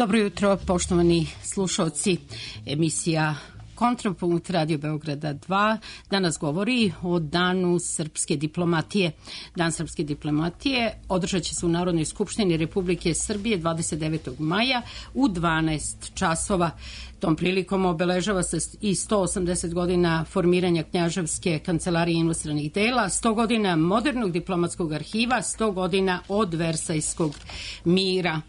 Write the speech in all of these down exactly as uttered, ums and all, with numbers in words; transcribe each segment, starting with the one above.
Dobro jutro, poštovani slušalci. Emisija Kontrapunkt Radio Beograda dva danas govori o Danu srpske diplomatije. Dan srpske diplomatije održat će se u Narodnoj skupštini Republike Srbije dvadeset devetog maja u dvanaest časova. Tom prilikom obeležava se i sto osamdeset godina formiranja Knjaževske kancelarije inostranih dela, sto godina modernog diplomatskog arhiva, sto godina od Versajskog mira.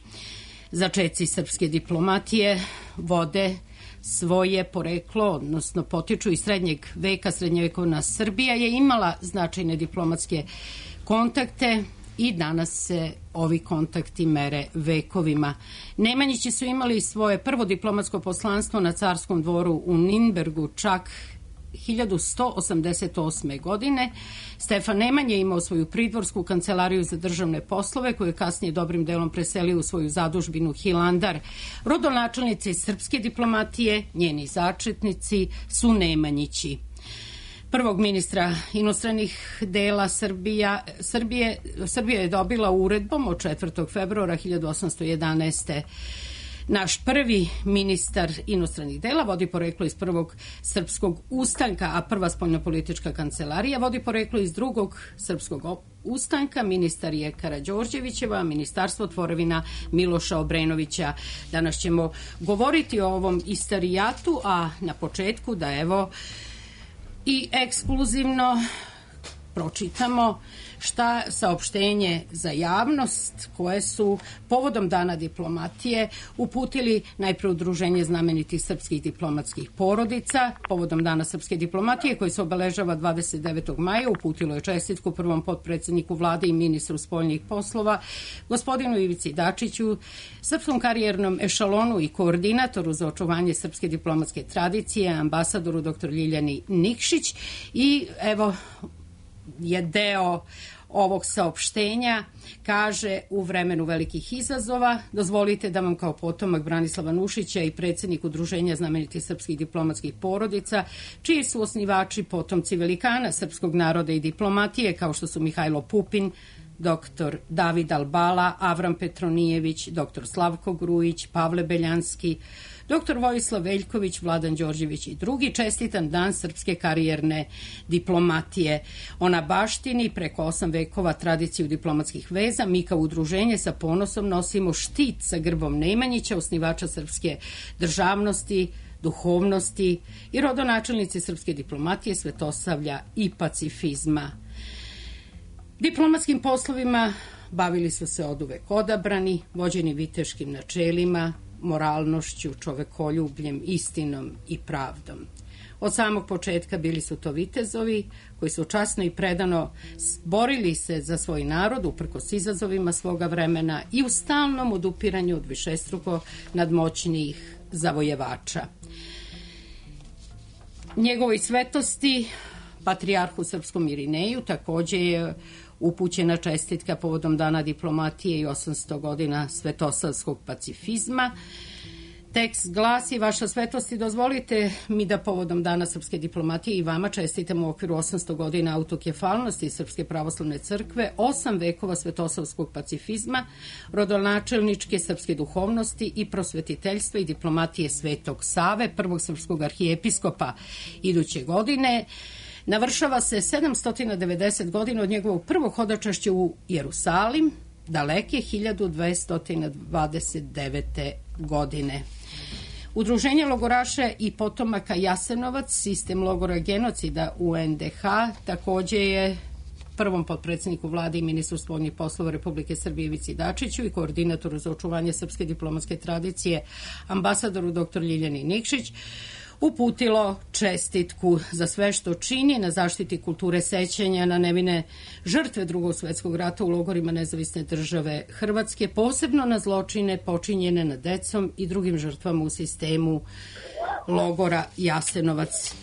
Začeci srpske diplomatije vode svoje poreklo, odnosno potiču iz srednjeg veka. Srednjevekovna Srbija je imala značajne diplomatske kontakte i danas se ovi kontakti mere vekovima. Nemanjići su imali svoje prvo diplomatsko poslanstvo na carskom dvoru u Ninbergu čak hiljadu sto osamdeset osme. godine. Stefan Nemanja je imao svoju pridvorsku kancelariju za državne poslove, koju je kasnije dobrim delom preselio u svoju zadužbinu Hilandar. Rodonačelnici srpske diplomatije, njeni začetnici, su Nemanjići. Prvog ministra inostranih dela Srbija, Srbije, Srbija je dobila uredbom od četvrtog februara hiljadu osamsto jedanaeste. Naš prvi ministar inostranih dela vodi poreklo iz prvog srpskog ustanka, a prva spoljnopolitička kancelarija vodi poreklo iz drugog srpskog ustanka. Ministar je Karađorđevićeva, a ministarstvo tvorevina Miloša Obrenovića. Danas ćemo govoriti o ovom istorijatu, a na početku da evo i ekskluzivno pročitamo šta saopštenje za javnost koje su povodom Dana diplomatije uputili najpre Udruženje znamenitih srpskih diplomatskih porodica. Povodom Dana srpske diplomatije koji se obeležava dvadeset devetog maja uputilo je čestitku prvom potpredsedniku vlade i ministru spoljnih poslova gospodinu Ivici Dačiću, srpskom karijernom ešalonu i koordinatoru za očuvanje srpske diplomatske tradicije, ambasadoru dr Ljiljani Nikšić. I evo je deo ovog saopštenja, kaže: u vremenu velikih izazova dozvolite da vam kao potomak Branislava Nušića i predsjednik Udruženja znamenitih srpskih diplomatskih porodica, čiji su osnivači potomci velikana srpskog naroda i diplomatije kao što su Mihajlo Pupin, dr David Albala, Avram Petronijević, dr Slavko Grujić, Pavle Beljanski, dr Vojislav Veljković, Vladan Đorđević i drugi, čestitan dan srpske karijerne diplomatije. Ona baštini preko osam vekova tradiciju diplomatskih veza. Mi kao udruženje sa ponosom nosimo štit sa grbom Nemanjića, osnivača srpske državnosti, duhovnosti i rodonačelnici srpske diplomatije, svetosavlja i pacifizma. Diplomatskim poslovima bavili su se oduvek odabrani, vođeni viteškim načelima, moralnošću, čovekoljubljem, istinom i pravdom. Od samog početka bili su to vitezovi koji su časno i predano borili se za svoj narod uprkos izazovima svoga vremena i u stalnom odupiranju od višestruko nadmoćnijih zavojevača. Njegovoj svetosti, patrijarhu srpskom Irineju, takođe je upućena čestitka povodom Dana diplomatije i osamsto godina svetosavskog pacifizma. Tekst glasi: vaša svetosti, dozvolite mi da povodom Dana srpske diplomatije i vama čestitam u okviru osamsto godina autokefalnosti Srpske pravoslavne crkve, osam vekova svetosavskog pacifizma, rodonačelničke srpske duhovnosti i prosvetiteljstva i diplomatije Svetog Save, prvog srpskog arhijepiskopa. Iduće godine navršava se sedamsto devedeset godina od njegovog prvog hodočašća u Jerusalim, daleke hiljadu dvesta dvadeset devete. godine. Udruženje logoraša i potomaka Jasenovac, sistem logora genocida U N D H, takođe je prvom potpredsjedniku vlade i ministru spoljnih poslova Republike Srbije Ivici Dačiću i koordinatoru za očuvanje srpske diplomatske tradicije, ambasadoru dr Ljiljani Nikšić, uputilo čestitku za sve što čini na zaštiti kulture sećanja na nevine žrtve Drugog svjetskog rata u logorima Nezavisne države Hrvatske, posebno na zločine počinjene nad decom i drugim žrtvama u sistemu logora Jasenovac.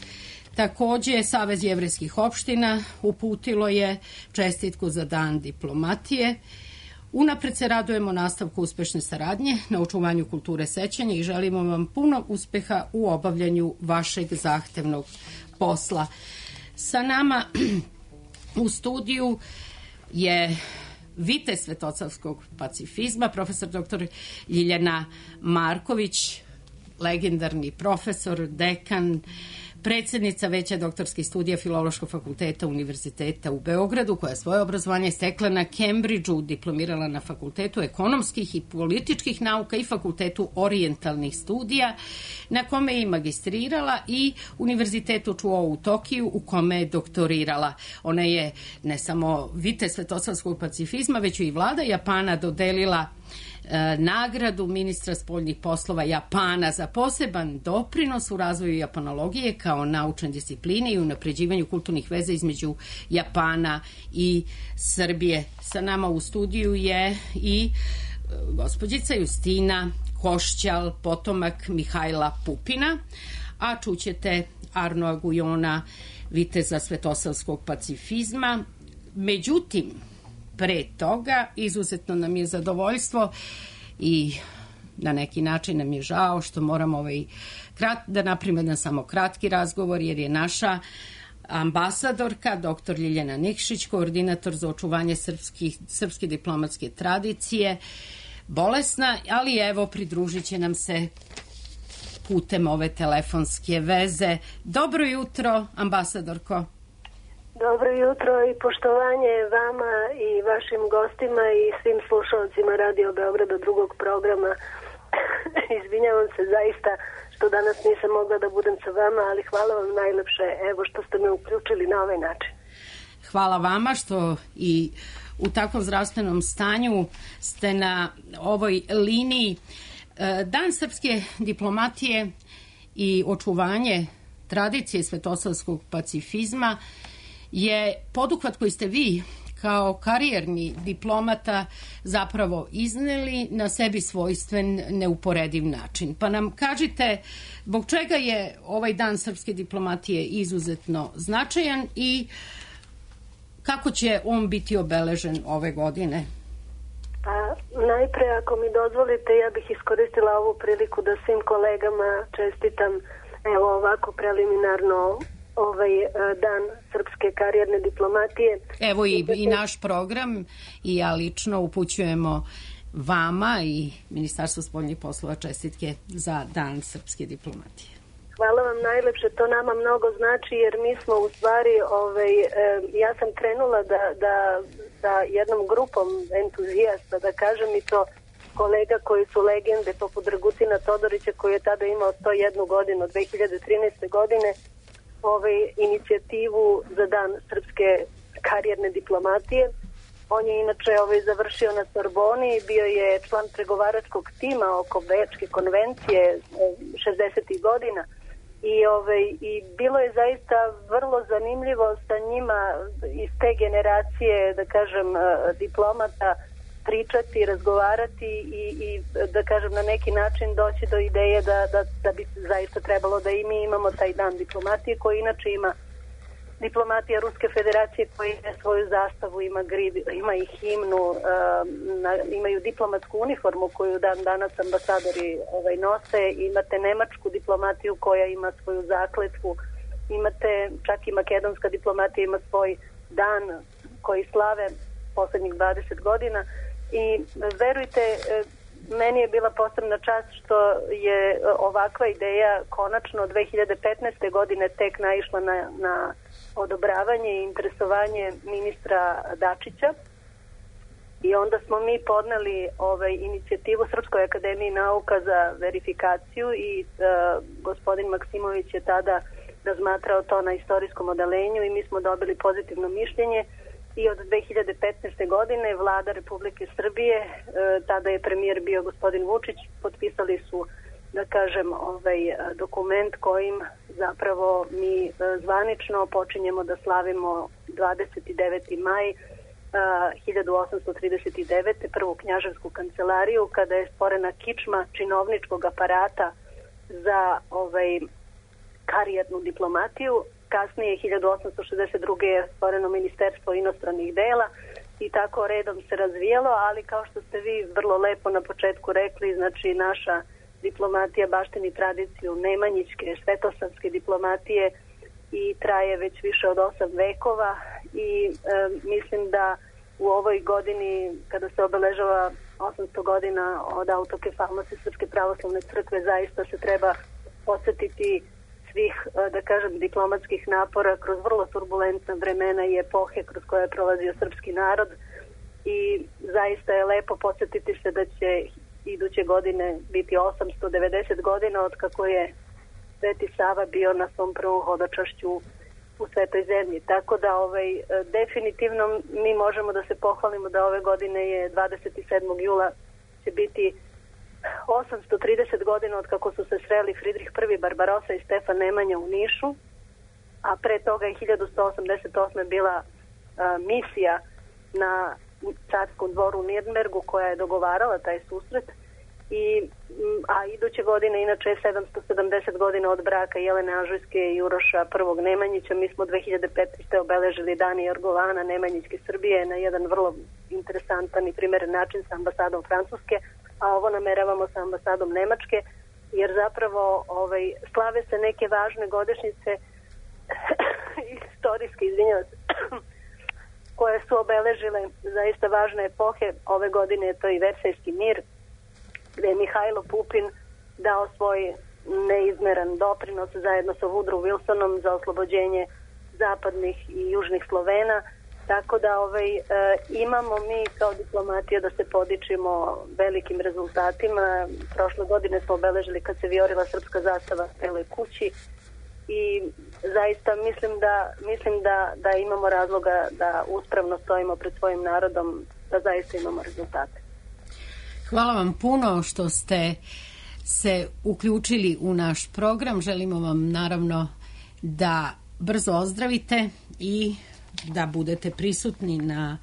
Takođe, Savez jevrejskih opština uputilo je čestitku za Dan diplomatije. Unapred se radujemo nastavku uspešne saradnje na očuvanju kulture sećanja i želimo vam puno uspeha u obavljanju vašeg zahtevnog posla. Sa nama u studiju je vitez svetosavskog pacifizma, profesor doktor Ljiljana Marković, legendarni profesor, dekan, predsjednica veća doktorskih studija Filološkog fakulteta Univerziteta u Beogradu, koja je svoje obrazovanje stekla na Cambridgeu, diplomirala na Fakultetu ekonomskih i političkih nauka i Fakultetu orijentalnih studija, na kome je i magistrirala, i Univerzitetu Chuo u Tokiju, u kome je doktorirala. Ona je ne samo vitez svetosavskog pacifizma, već i vlada Japana dodelila nagradu ministra spoljnih poslova Japana za poseban doprinos u razvoju japanologije kao naučne discipline i unapređivanju kulturnih veza između Japana i Srbije. Sa nama u studiju je i gospođica Justina Košćal, potomak Mihajla Pupina, a čućete Arnoa Gujona, viteza svetosavskog pacifizma. Međutim, pre toga, izuzetno nam je zadovoljstvo i na neki način nam je žao što moramo ovaj krat, da napravimo jedan samo kratki razgovor, jer je naša ambasadorka, doktor Ljiljana Nikšić, koordinator za očuvanje srpskih, srpske diplomatske tradicije, bolesna, ali evo pridružit će nam se putem ove telefonske veze. Dobro jutro, ambasadorko. Dobro jutro i poštovanje vama i vašim gostima i svim slušalcima Radio Beograda drugog programa. Izvinjavam se zaista što danas nisam mogla da budem sa vama, ali hvala vam najlepše, evo što ste me uključili na ovaj način. Hvala vama što i u takvom zdravstvenom stanju ste na ovoj liniji. Dan srpske diplomatije i očuvanje tradicije svetosavskog pacifizma je poduhvat koji ste vi kao karijerni diplomata zapravo izneli na sebi svojstven, neuporediv način. Pa nam kažite zbog čega je ovaj dan srpske diplomatije izuzetno značajan i kako će on biti obeležen ove godine? Pa najpre, ako mi dozvolite, ja bih iskoristila ovu priliku da svim kolegama čestitam evo ovako preliminarno ovaj dan srpske karijerne diplomatije. Evo i, i naš program i ja lično upućujemo vama i Ministarstvu spoljnih poslova čestitke za dan srpske diplomatije. Hvala vam najlepše, to nama mnogo znači jer mi smo u stvari, ovaj, ja sam krenula da, da, da jednom grupom entuzijasta, da kažem i to kolega koji su legende poput Dragutina Todorića koji je tada imao sto jednu godinu, dve hiljade trinaeste. godine, ovaj, inicijativu za dan srpske karijerne diplomatije. On je inače ovaj, završio na Sorboni, bio je član pregovaračkog tima oko Bečke konvencije šezdesetih godina i, ovaj, i bilo je zaista vrlo zanimljivo sa njima iz te generacije, da kažem, diplomata pričati, razgovarati i, i da kažem na neki način doći do ideje da, da, da bi zaista trebalo da i mi imamo taj dan diplomatije koji inače ima diplomatija Ruske federacije koja ima svoju zastavu, ima grib, ima i himnu, uh, na, imaju diplomatsku uniformu koju dan danas ambasadori ovaj, nose, imate nemačku diplomatiju koja ima svoju zakletvu, imate čak i makedonska diplomatija ima svoj dan koji slave poslednjih dvadeset godina i verujte, meni je bila posebna čast što je ovakva ideja konačno dve hiljade petnaeste. godine tek naišla na, na odobravanje i interesovanje ministra Dačića i onda smo mi podneli ovaj, inicijativu Srpskoj akademiji nauka za verifikaciju i uh, gospodin Maksimović je tada razmatrao to na istorijskom odelenju i mi smo dobili pozitivno mišljenje. I od dve hiljade petnaeste. godine vlada Republike Srbije, e, tada je premijer bio gospodin Vučić, potpisali su, da kažem, ovaj dokument kojim zapravo mi e, zvanično počinjemo da slavimo dvadeset deveti maj e, hiljadu osamsto trideset devete. prvu knjaževsku kancelariju kada je stvorena kičma činovničkog aparata za ovaj karijernu diplomatiju. Kasnije, hiljadu osamsto šezdeset druge. je stvoreno Ministarstvo inostranih dela i tako redom se razvijelo, ali kao što ste vi vrlo lepo na početku rekli, znači naša diplomatija baštini tradiciju nemanjićke, svetosavske diplomatije i traje već više od osam vekova i e, mislim da u ovoj godini kada se obeležava osamsto godina od autokefalnosti Srpske pravoslavne crkve, zaista se treba podsjetiti svih, da kažem, diplomatskih napora kroz vrlo turbulentna vremena i epohe kroz koje je prolazio srpski narod i zaista je lepo podsjetiti se da će iduće godine biti osamsto devedeset godina od kako je Sveti Sava bio na svom prvom hodočašću u Svetoj zemlji. Tako da ovaj, definitivno mi možemo da se pohvalimo da ove godine je dvadeset sedmog jula će biti osamsto trideset godina od kako su se sreli Fridrih prvi Barbarosa i Stefan Nemanja u Nišu, a pre toga je hiljadu sto osamdeset osme bila a, misija na carskom dvoru u Nirnbergu koja je dogovarala taj susret. I, a iduće godine inače je sedamsto sedamdeset godina od braka Jelene Anžujske i Uroša prvog Nemanjića. Mi smo dve hiljade petnaeste. obeležili Dan Jorgovana Nemanjićke Srbije na jedan vrlo interesantan i primeren način sa ambasadom Francuske, a ovo nameravamo sa ambasadom Nemačke, jer zapravo ovaj, slave se neke važne godišnjice istorijske, izvinjavam se, koje su obeležile zaista važne epohe. Ove godine je to i Versajski mir, gde je Mihajlo Pupin dao svoj neizmeran doprinos zajedno sa Woodrow Wilsonom za oslobođenje zapadnih i južnih Slovena. Tako da ovaj, e, imamo mi kao diplomatija da se podičimo velikim rezultatima. Prošle godine smo obeležili kad se vijorila srpska zastava u Beloj kući i zaista mislim da, mislim da, da imamo razloga da uspravno stojimo pred svojim narodom, da zaista imamo rezultate. Hvala vam puno što ste se uključili u naš program. Želimo vam naravno da brzo ozdravite i da budete prisutni na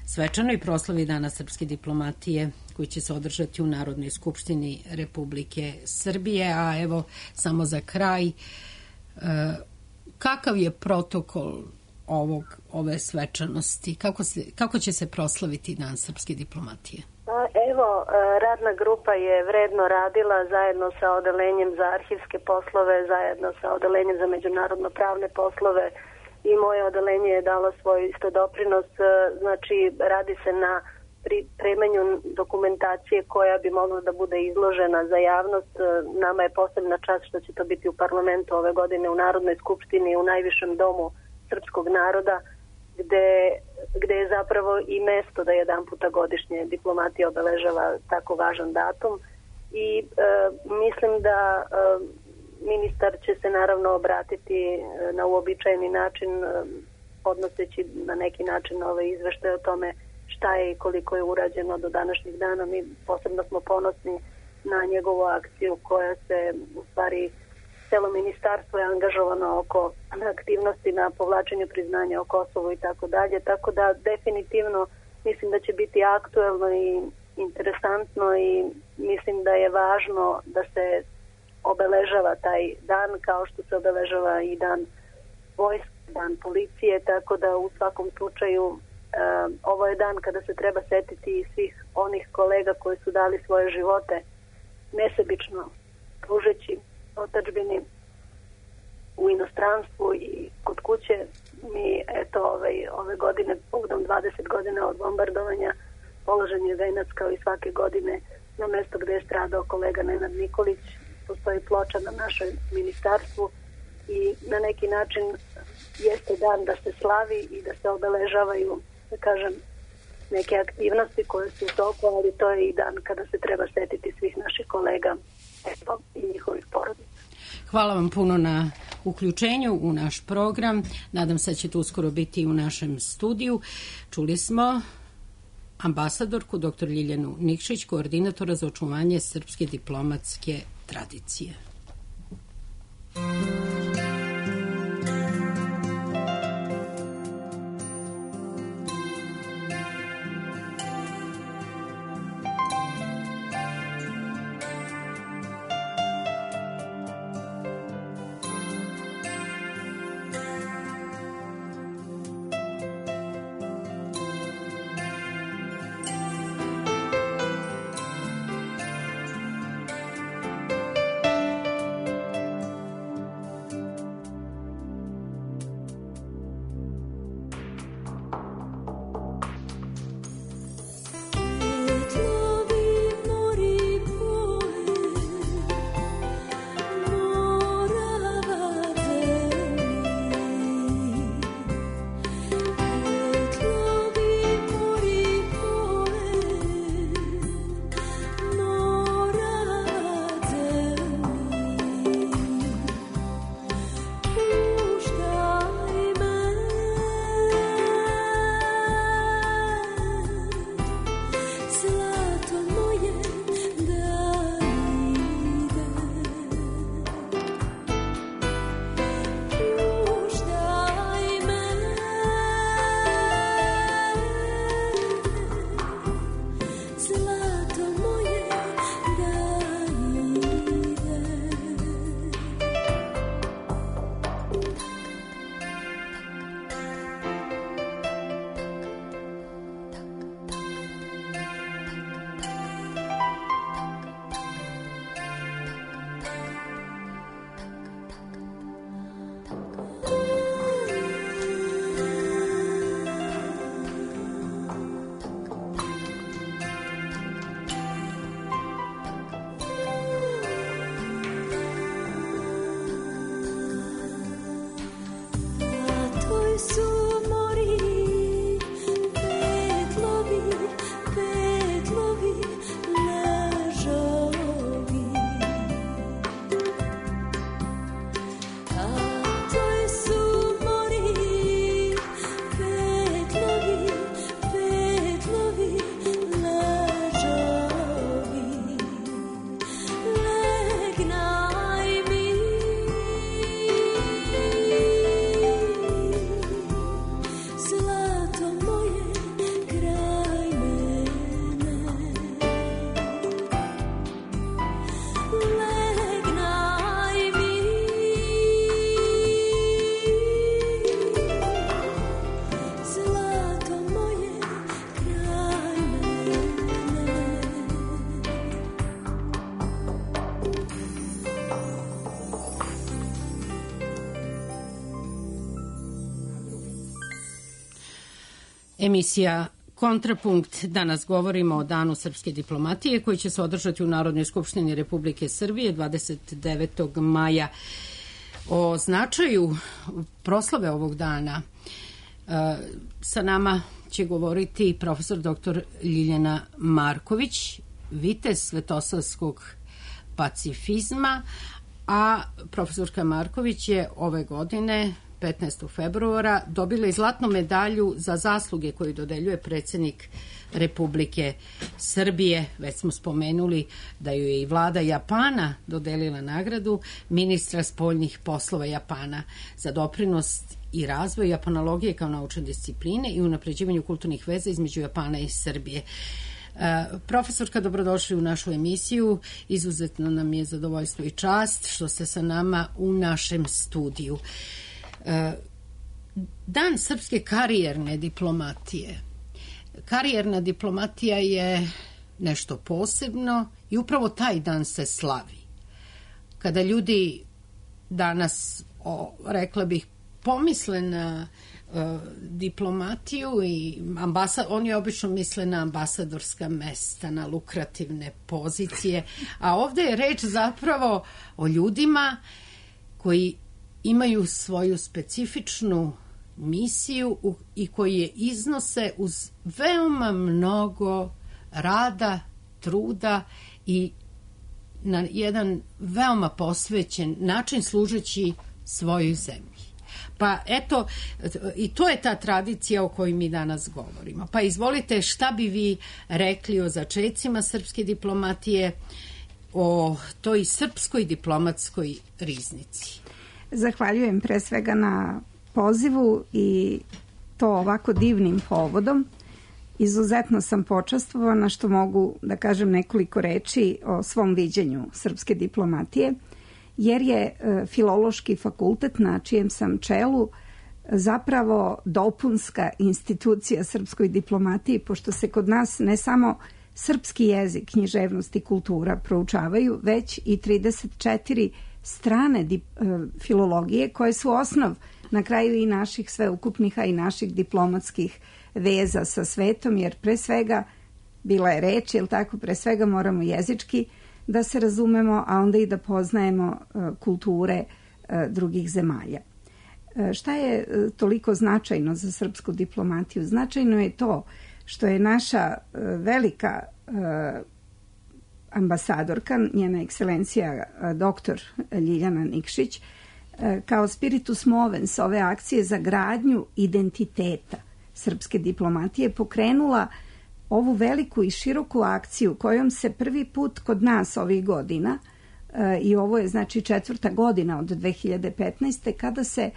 svečanoj proslavi Dana srpske diplomatije koji će se održati u Narodnoj skupštini Republike Srbije. A evo samo za kraj, kakav je protokol ovog, ove svečanosti? Kako, se, kako će se proslaviti Dan srpske diplomatije? Evo, radna grupa je vredno radila zajedno sa odelenjem za arhivske poslove, zajedno sa odelenjem za međunarodno pravne poslove i moje odelenje je dalo svoj isto doprinos. Znači, radi se na pripremanju dokumentacije koja bi mogla da bude izložena za javnost. Nama je posebna čast što će to biti u parlamentu ove godine, u Narodnoj skupštini, u najvišem domu srpskog naroda, gde, gde je zapravo i mesto da jedan puta godišnje diplomatija obeležava tako važan datum. I e, mislim da e, ministar će se naravno obratiti na uobičajeni način, e, podnoseći na neki način ove izveštaje o tome šta je i koliko je urađeno do današnjih dana. Mi posebno smo ponosni na njegovu akciju koja se u stvari celo ministarstvo je angažovano oko aktivnosti na povlačenju priznanja o Kosovu i tako dalje. Tako da definitivno mislim da će biti aktuelno i interesantno i mislim da je važno da se obeležava taj dan kao što se obeležava i dan vojske, dan policije, tako da u svakom slučaju uh, ovo je dan kada se treba setiti svih onih kolega koji su dali svoje živote nesebično pružeći otadžbini u inostranstvu i kod kuće. Mi eto ovaj, ove godine povodom dvadeset godina od bombardovanja položen je venac kao i svake godine na mesto gde je stradao kolega Nenad Nikolić. Postoji ploča na našoj ministarstvu i na neki način jeste dan da se slavi i da se obeležavaju, da kažem, neke aktivnosti koje su u toku, ali to je i dan kada se treba setiti svih naših kolega eto, i njihovih porodica. Hvala vam puno na uključenju u naš program. Nadam se da ćete uskoro biti u našem studiju. Čuli smo ambasadorku dr. Ljiljanu Nikšić, koordinatora za očuvanje srpske diplomatske tradicije. Emisija Kontrapunkt. Danas govorimo o Danu srpske diplomatije koji će se održati u Narodnoj skupštini Republike Srbije dvadeset devetog maja. O značaju proslave ovog dana sa nama će govoriti profesor doktor Ljiljana Marković, vitez svetosavskog pacifizma, a profesorka Marković je ove godine petnaestog februara dobila i zlatnu medalju za zasluge koju dodeljuje predsjednik Republike Srbije. Već smo spomenuli da ju je i vlada Japana dodelila nagradu ministra spoljnih poslova Japana za doprinos i razvoj japanologije kao naučne discipline i unapređivanju kulturnih veza između Japana i Srbije. Profesorka, dobrodošli u našu emisiju. Izuzetno nam je zadovoljstvo i čast što ste sa nama u našem studiju. Dan srpske karijerne diplomatije. Karijerna diplomatija je nešto posebno i upravo taj dan se slavi. Kada ljudi danas, o, rekla bih, pomisle na uh, diplomatiju i ambasad, oni obično misle na ambasadorska mesta, na lukrativne pozicije, a ovde je reč zapravo o ljudima koji imaju svoju specifičnu misiju i koji je iznose uz veoma mnogo rada, truda i na jedan veoma posvećen način služeći svojoj zemlji. Pa eto, i to je ta tradicija o kojoj mi danas govorimo. Pa izvolite, šta bi vi rekli o začecima srpske diplomatije, o toj srpskoj diplomatskoj riznici? Zahvaljujem pre svega na pozivu i to ovako divnim povodom. Izuzetno sam počastvovana što mogu da kažem nekoliko reči o svom viđenju srpske diplomatije, jer je Filološki fakultet na čijem sam čelu zapravo dopunska institucija srpskoj diplomatiji, pošto se kod nas ne samo srpski jezik, književnost i kultura proučavaju, već i trideset četiri strane dip, filologije koje su osnov na kraju i naših sveukupnih, a i naših diplomatskih veza sa svetom, jer pre svega, bila je reč, jel tako, pre svega moramo jezički da se razumemo, a onda i da poznajemo uh, kulture uh, drugih zemalja. Uh, šta je uh, toliko značajno za srpsku diplomatiju? Značajno je to što je naša uh, velika uh, ambasadorka, njena ekscelencija uh, doktor Ljiljana Nikšić, uh, kao spiritus movens ove akcije za gradnju identiteta srpske diplomatije pokrenula ovu veliku i široku akciju kojom se prvi put kod nas ovih godina, e, i ovo je znači četvrta godina od dve hiljade petnaeste. kada se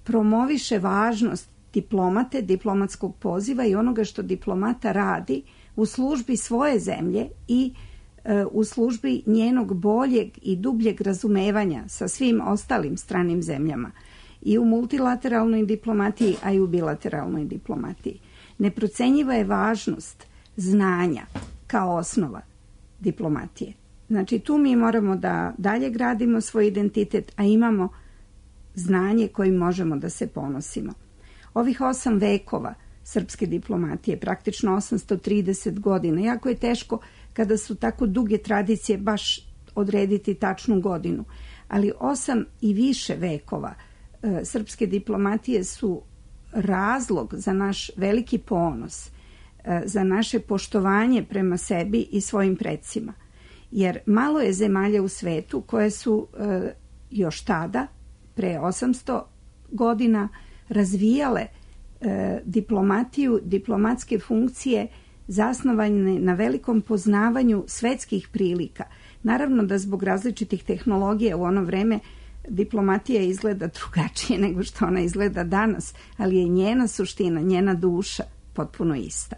promoviše važnost diplomate, diplomatskog poziva i onoga što diplomata radi u službi svoje zemlje i e, u službi njenog boljeg i dubljeg razumevanja sa svim ostalim stranim zemljama i u multilateralnoj diplomatiji, a i u bilateralnoj diplomatiji. Neprocenjiva je važnost znanja kao osnova diplomatije. Znači tu mi moramo da dalje gradimo svoj identitet, a imamo znanje kojim možemo da se ponosimo. Ovih osam vekova srpske diplomatije, praktično osamsto trideset godina, jako je teško kada su tako duge tradicije baš odrediti tačnu godinu, ali osam i više vekova e, srpske diplomatije su razlog za naš veliki ponos, za naše poštovanje prema sebi i svojim predsima. Jer malo je zemalja u svetu koje su e, još tada, pre osamsto godina, razvijale e, diplomatiju, diplomatske funkcije zasnovane na velikom poznavanju svetskih prilika. Naravno da zbog različitih tehnologija u ono vreme diplomatija izgleda drugačije nego što ona izgleda danas, ali je njena suština, njena duša potpuno ista.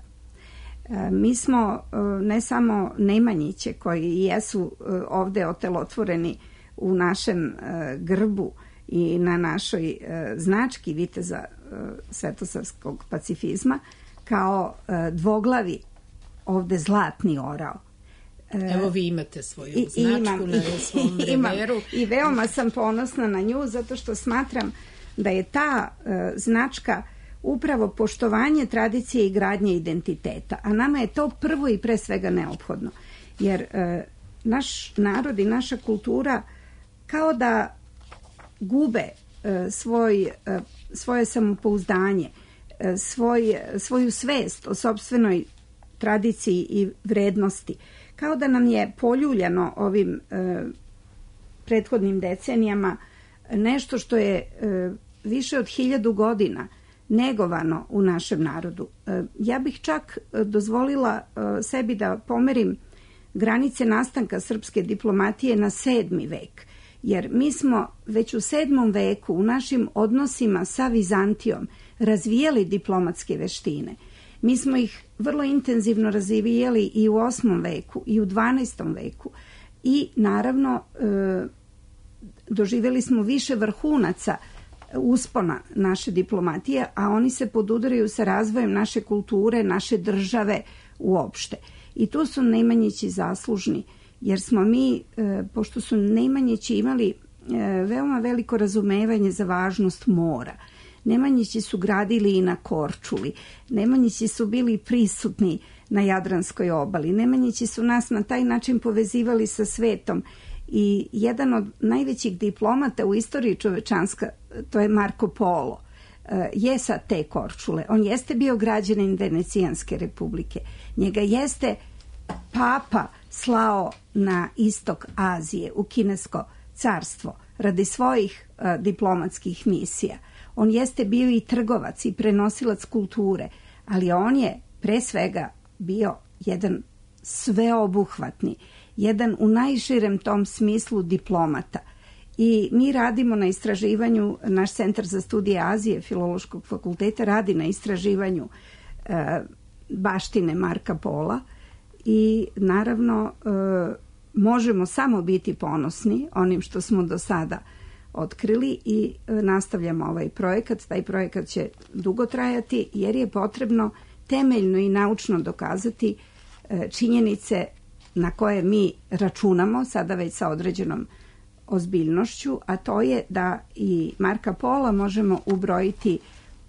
Mi smo ne samo Nemanjiće koji jesu ovde otelotvoreni u našem grbu i na našoj znački viteza svetosavskog pacifizma kao dvoglavi ovde zlatni orao. Evo vi imate svoju I, značku imam, na svom reveru. I veoma sam ponosna na nju zato što smatram da je ta uh, značka upravo poštovanje tradicije i gradnje identiteta. A nama je to prvo i pre svega neophodno. Jer e, naš narod i naša kultura kao da gube e, svoj, e, svoje samopouzdanje, e, svoj, svoju svest o sopstvenoj tradiciji i vrednosti. Kao da nam je poljuljano ovim e, prethodnim decenijama nešto što je e, više od hiljadu godina negovano u našem narodu. E, ja bih čak dozvolila e, sebi da pomerim granice nastanka srpske diplomatije na sedmi vek, jer mi smo već u sedmom veku u našim odnosima sa Vizantijom razvijali diplomatske veštine. Mi smo ih vrlo intenzivno razvijali i u osmom veku i u dvanaestom veku i naravno e, doživjeli smo više vrhunaca uspona naše diplomatije, a oni se podudaraju sa razvojem naše kulture, naše države uopšte. I tu su Nemanjići zaslužni, jer smo mi, e, pošto su Nemanjići imali e, veoma veliko razumevanje za važnost mora, Nemanjići su gradili i na Korčuli, Nemanjići su bili prisutni na Jadranskoj obali, Nemanjići su nas na taj način povezivali sa svetom i jedan od najvećih diplomata u istoriji čovečanska, to je Marko Polo, je sa te Korčule. On jeste bio građanin Venecijanske republike. Njega jeste papa slao na istok Azije, u Kinesko carstvo, radi svojih uh, diplomatskih misija. On jeste bio i trgovac i prenosilac kulture, ali on je pre svega bio jedan sveobuhvatni, jedan u najširem tom smislu diplomata. I mi radimo na istraživanju, naš Centar za studije Azije Filološkog fakulteta radi na istraživanju e, baštine Marka Pola i naravno e, možemo samo biti ponosni onim što smo do sada otkrili i e, nastavljamo ovaj projekat. Taj projekat će dugo trajati jer je potrebno temeljno i naučno dokazati e, činjenice na koje mi računamo sada već sa određenom ozbiljnošću, a to je da i Marka Pola možemo ubrojiti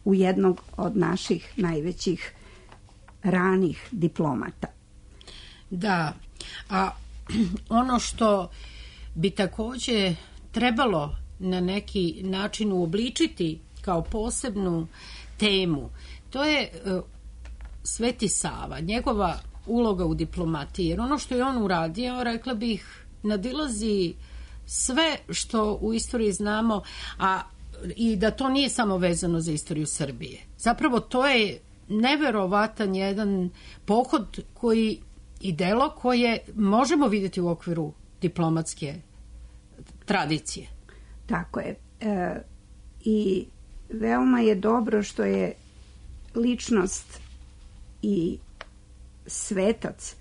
u jednog od naših najvećih ranih diplomata. Da, a ono što bi takođe trebalo na neki način uobličiti kao posebnu temu, to je uh, Sveti Sava, njegova uloga u diplomatiji, jer ono što je on uradio, rekla bih, nadilazi sve što u istoriji znamo, a i da to nije samo vezano za istoriju Srbije. Zapravo to je neverovatan jedan pohod koji i delo koje možemo vidjeti u okviru diplomatske tradicije. Tako je. E, I veoma je dobro što je ličnost i svetac,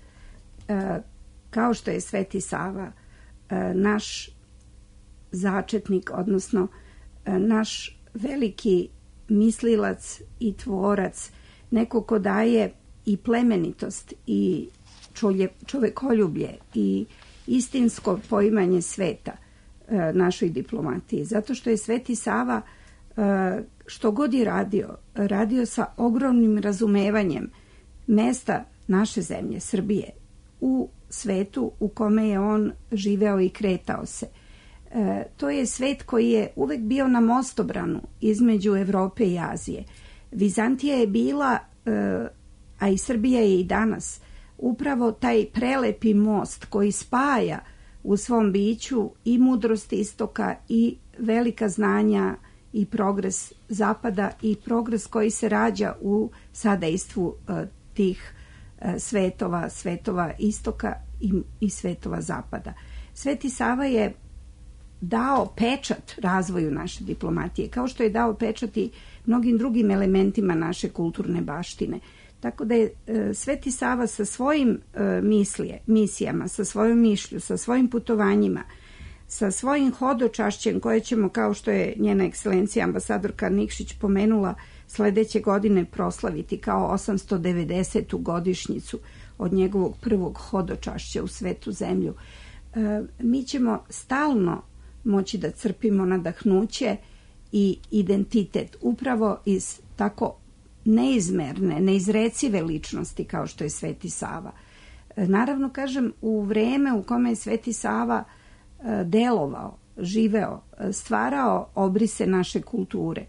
e, kao što je Sveti Sava, e, naš začetnik, odnosno e, naš veliki mislilac i tvorac, neko ko daje i plemenitost i čovje, čovekoljublje i istinsko poimanje sveta e, našoj diplomatiji. Zato što je Sveti Sava e, što god je radio, radio sa ogromnim razumevanjem mesta naše zemlje, Srbije, u svetu u kome je on živeo i kretao se. E, to je svet koji je uvek bio na mostobranu između Evrope i Azije. Vizantija je bila, e, a i Srbija je i danas, upravo taj prelepi most koji spaja u svom biću i mudrost istoka i velika znanja i progres zapada i progres koji se rađa u sadejstvu e, tih e, svetova, svetova istoka i, i svetova zapada. Sveti Sava je dao pečat razvoju naše diplomatije, kao što je dao pečat i mnogim drugim elementima naše kulturne baštine. Tako da je e, Sveti Sava sa svojim e, mislije, misijama, sa svojom mišlju, sa svojim putovanjima, sa svojim hodočašćem koje ćemo, kao što je njena ekscelencija ambasadorka Nikšić pomenula, sledeće godine proslaviti kao osamsto devedesetu godišnjicu od njegovog prvog hodočašća u svetu zemlju. E, mi ćemo stalno moći da crpimo nadahnuće i identitet upravo iz tako neizmerne, neizrecive ličnosti kao što je Sveti Sava. Naravno, kažem, u vreme u kome je Sveti Sava delovao, živeo, stvarao obrise naše kulture,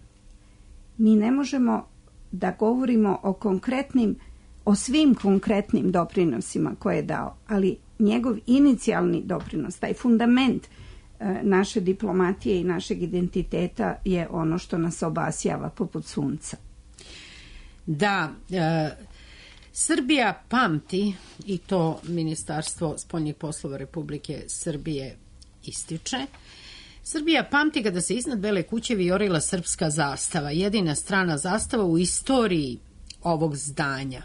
mi ne možemo da govorimo o konkretnim, o svim konkretnim doprinosima koje je dao, ali njegov inicijalni doprinos, taj fundament naše diplomatije i našeg identiteta je ono što nas obasjava poput sunca. Da, e, Srbija pamti, i to Ministarstvo spoljnih poslova Republike Srbije ističe, Srbija pamti kada se iznad Bele kuće vijorila srpska zastava, jedina strana zastava u istoriji ovog zdanja.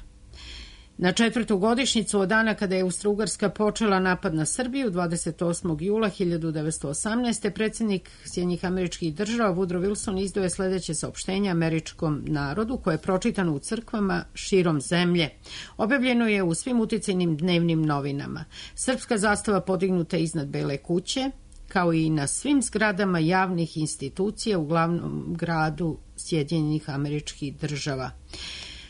Na četvrtu godišnjicu od dana kada je Austro-Ugarska počela napad na Srbiju, dvadeset osmog jula hiljadu devetsto osamnaeste. predsjednik Sjedinjenih Američkih Država Woodrow Wilson izdao je sledeće saopštenje američkom narodu, koje je pročitano u crkvama širom zemlje. Objavljeno je u svim uticajnim dnevnim novinama. Srpska zastava podignuta iznad Bele kuće, kao i na svim zgradama javnih institucija u glavnom gradu Sjedinjenih Američkih Država.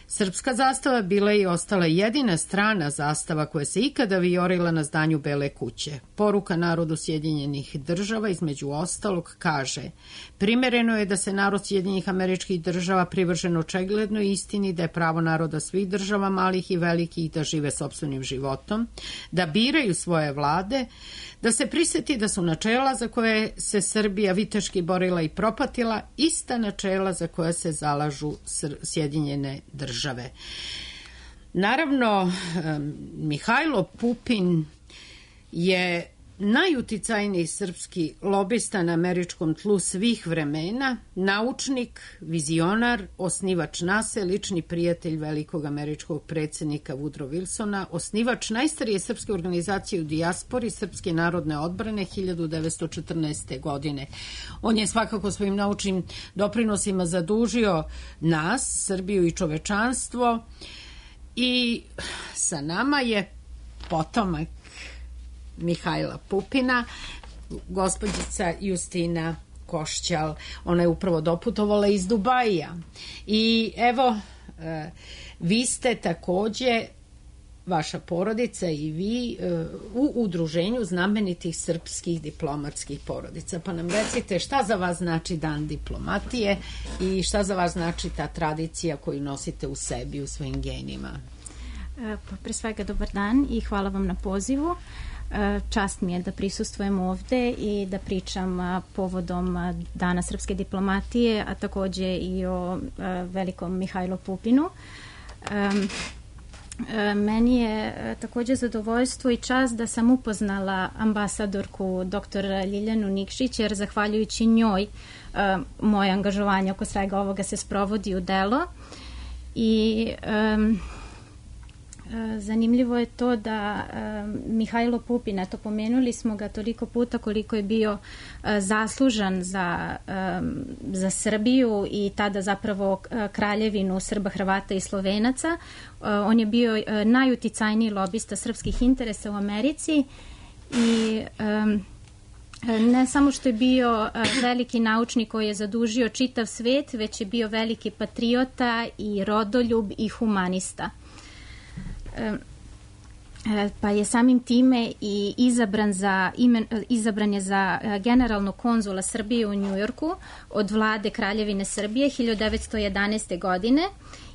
Srpska zastava bila je i ostala jedina strana zastava koja se ikada vijorila na zdanju Bele kuće. Poruka narodu Sjedinjenih Država između ostalog kaže: primereno je da se narod Sjedinjenih Američkih Država privržen očiglednoj istini da je pravo naroda svih država, malih i velikih, da žive sopstvenim životom, da biraju svoje vlade, da se prisjeti da su načela za koje se Srbija viteški borila i propatila ista načela za koja se zalažu Sjedinjene Države. Naravno, Mihajlo Pupin je najuticajniji srpski lobista na američkom tlu svih vremena, naučnik, vizionar, osnivač nase, lični prijatelj velikog američkog predsjednika Woodrow Wilsona, osnivač najstarije srpske organizacije u dijaspori Srpske narodne odbrane hiljadu devetsto četrnaeste. godine. On je svakako svojim naučnim doprinosima zadužio nas, Srbiju i čovečanstvo, i sa nama je potomak Mihajla Pupina, gospođica Justina Košćal. Ona je upravo doputovala iz Dubaija. I evo, vi ste takođe, vaša porodica i vi, u udruženju znamenitih srpskih diplomatskih porodica. Pa nam recite šta za vas znači Dan diplomatije i šta za vas znači ta tradicija koju nosite u sebi, u svojim genima? Pa pre svega dobar dan i hvala vam na pozivu. Čast mi je da prisustvujem ovde i da pričam povodom Dana srpske diplomatije, a takođe i o velikom Mihajlu Pupinu. Meni je takođe zadovoljstvo i čast da sam upoznala ambasadorku doktor Ljiljanu Nikšić, jer zahvaljujući njoj moje angažovanje oko svega ovoga se sprovodi u delo. I zanimljivo je to da Mihajlo Pupin, eto pomenuli smo ga toliko puta koliko je bio zaslužan za, za Srbiju i tada zapravo kraljevinu Srba, Hrvata i Slovenaca. On je bio najuticajniji lobista srpskih interesa u Americi i ne samo što je bio veliki naučnik koji je zadužio čitav svet, već je bio veliki patriota i rodoljub i humanista. Pa je samim time i izabran, za, izabran je za generalnog konzula Srbije u Njujorku od vlade Kraljevine Srbije hiljadu devetsto jedanaeste. godine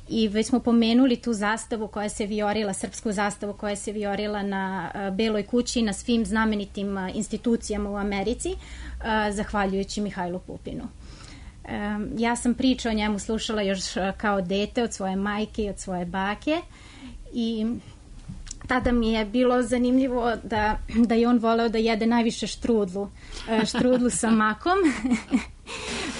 i već smo pomenuli tu zastavu koja se vijorila, srpsku zastavu koja se vijorila na Beloj kući i na svim znamenitim institucijama u Americi, zahvaljujući Mihajlu Pupinu. Ja sam priču o njemu slušala još kao dete od svoje majke i od svoje bake. I tada mi je bilo zanimljivo da, da je on voleo da jede najviše štrudlu, štrudlu sa makom,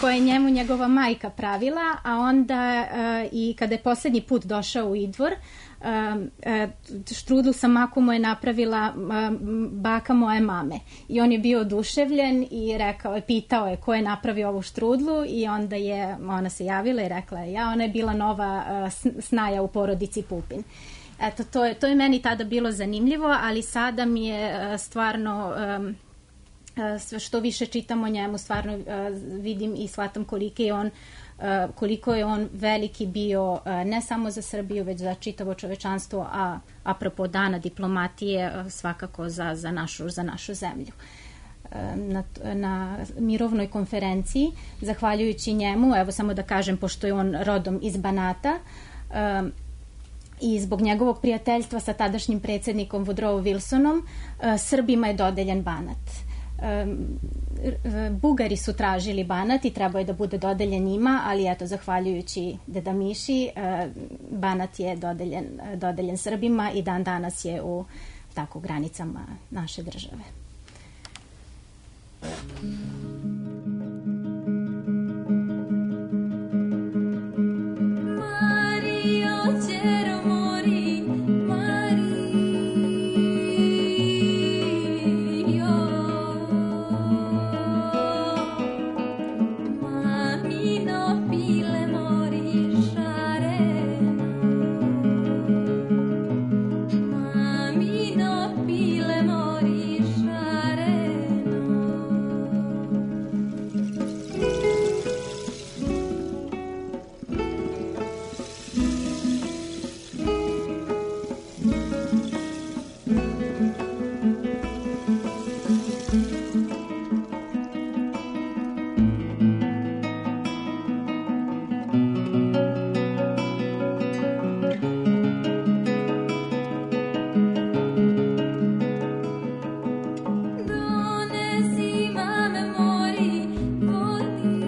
koje je njemu njegova majka pravila, a onda i kada je poslednji put došao u Idvor, štrudlu sa makom mu je napravila baka moje mame. I on je bio oduševljen i rekao, pitao je ko je napravio ovu štrudlu i onda je ona se javila i rekla je ja, ona je bila nova snaja u porodici Pupin. Eto, to je, to je meni tada bilo zanimljivo, ali sada mi je stvarno, sve što više čitam o njemu, stvarno vidim i shvatam koliki je on koliko je on veliki bio ne samo za Srbiju, već za čitavo čovečanstvo, a apropo dana diplomatije svakako za, za, našu, za našu zemlju. Na, na mirovnoj konferenciji, zahvaljujući njemu, evo samo da kažem, pošto je on rodom iz Banata, um, i zbog njegovog prijateljstva sa tadašnjim predsjednikom Woodrow Wilsonom, uh, Srbima je dodeljen Banat. Um, Bugari su tražili Banat i trebao je da bude dodeljen njima, ali eto, zahvaljujući Deda Miši, uh, Banat je dodeljen, dodeljen Srbima i dan danas je u tako granicama naše države. Mario quiero morir, Mario. Mami no pile morir šareno. Mami no pile morir šareno. Donesi mame mori vodice.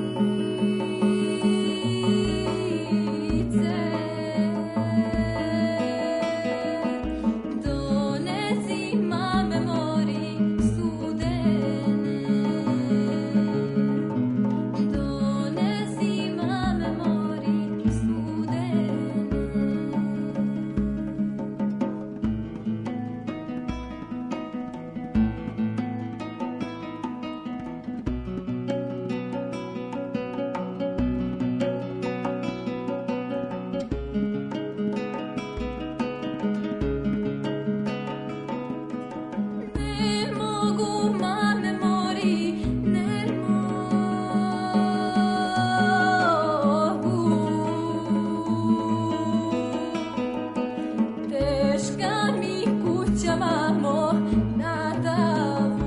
Donesi mame mori studene. Donesi mame mori studene. Ne mogu mame mori, ne mogu. Teška mi kuća, mamo, na davu.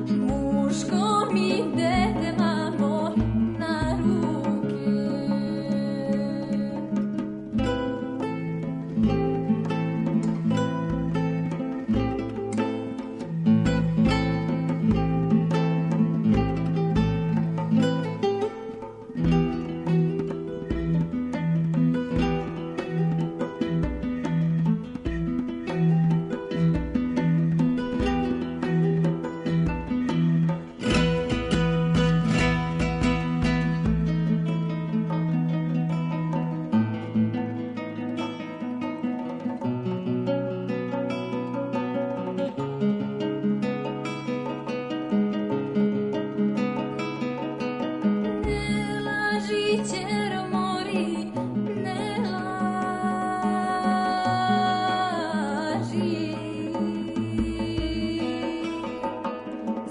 Muško mi dete, mamo, na ruke. Ne laži, ćero mori, ne laži.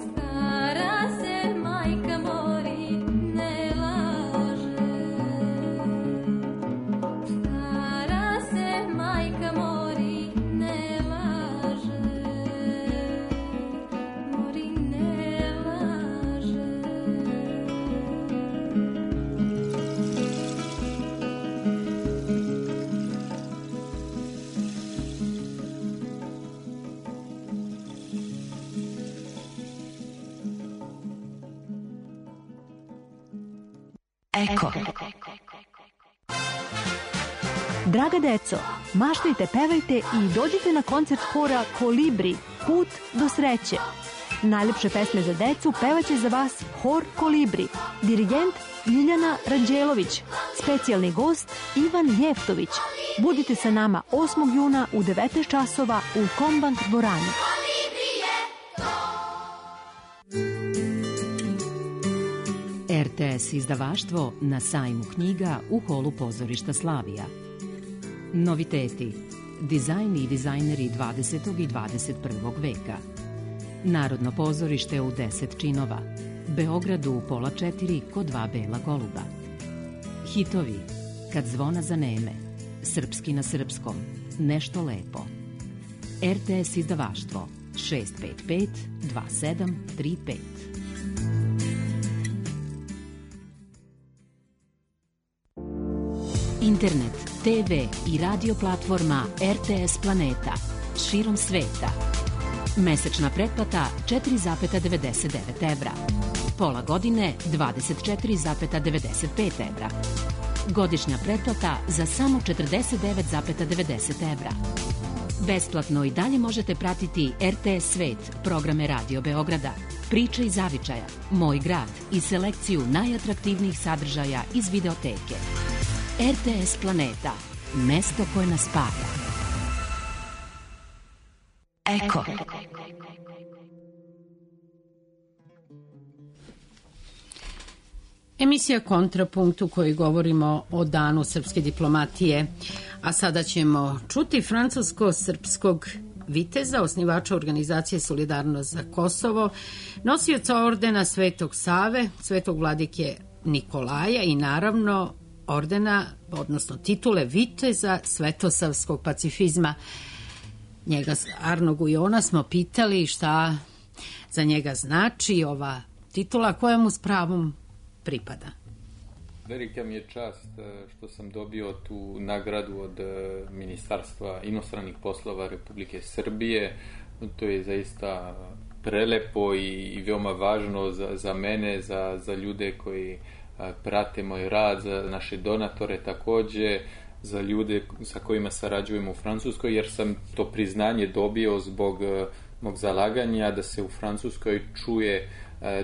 Stara se majka mori, ne laže. Stara se majka mori, ne laže. Mori, ne laže. Eko. Draga deco, maštajte, pevajte i dođite na koncert hora Kolibri, Put do sreće. Najlepše pesme za decu pevaće za vas hor Kolibri, dirigent Ljiljana Ranđelović, specijalni gost Ivan Jeftović. Budite sa nama osmog juna u devetnaest časova u Kombank dvorani. R T S izdavaštvo na sajmu knjiga u holu pozorišta Slavija. Noviteti. Dizajn i dizajneri dvadesetog i dvadeset prvog veka. Narodno pozorište u deset činova. Beogradu u pola četiri kod dva bela goluba. Hitovi Kad zvona zaneme, Srpski na srpskom, Nešto lepo. R T S izdavaštvo šest pet pet dva sedam tri pet. Internet, te ve i radio platforma R T S Planeta širom sveta. Mesečna pretplata četiri zarez devedeset devet evra. Pola godine dvadeset četiri zarez devedeset pet evra. Godišnja pretplata za samo četrdeset devet zarez devedeset evra. Besplatno i dalje možete pratiti R T S Svet, programe Radio Beograda, Priče iz zavičaja, Moj grad i selekciju najatraktivnijih sadržaja iz videoteke. R T S Planeta, mesto koje nas spaja. Eko. Emisija Kontrapunkt u kojoj govorimo o danu srpske diplomatije, a sada ćemo čuti francusko-srpskog viteza, osnivača organizacije Solidarnost za Kosovo, nosioca ordena Svetog Save, Svetog vladike Nikolaja i naravno ordena, odnosno titule viteza svetosavskog pacifizma. Njega, Arno Gujona, smo pitali šta za njega znači ova titula koja mu s pravom pripada. Velika mi je čast što sam dobio tu nagradu od Ministarstva inostranih poslova Republike Srbije. To je zaista prelepo i, i veoma važno za, za mene, za, za ljude koji prate moj rad, za naše donatore takođe, za ljude sa kojima sarađujemo u Francuskoj, jer sam to priznanje dobio zbog mog zalaganja da se u Francuskoj čuje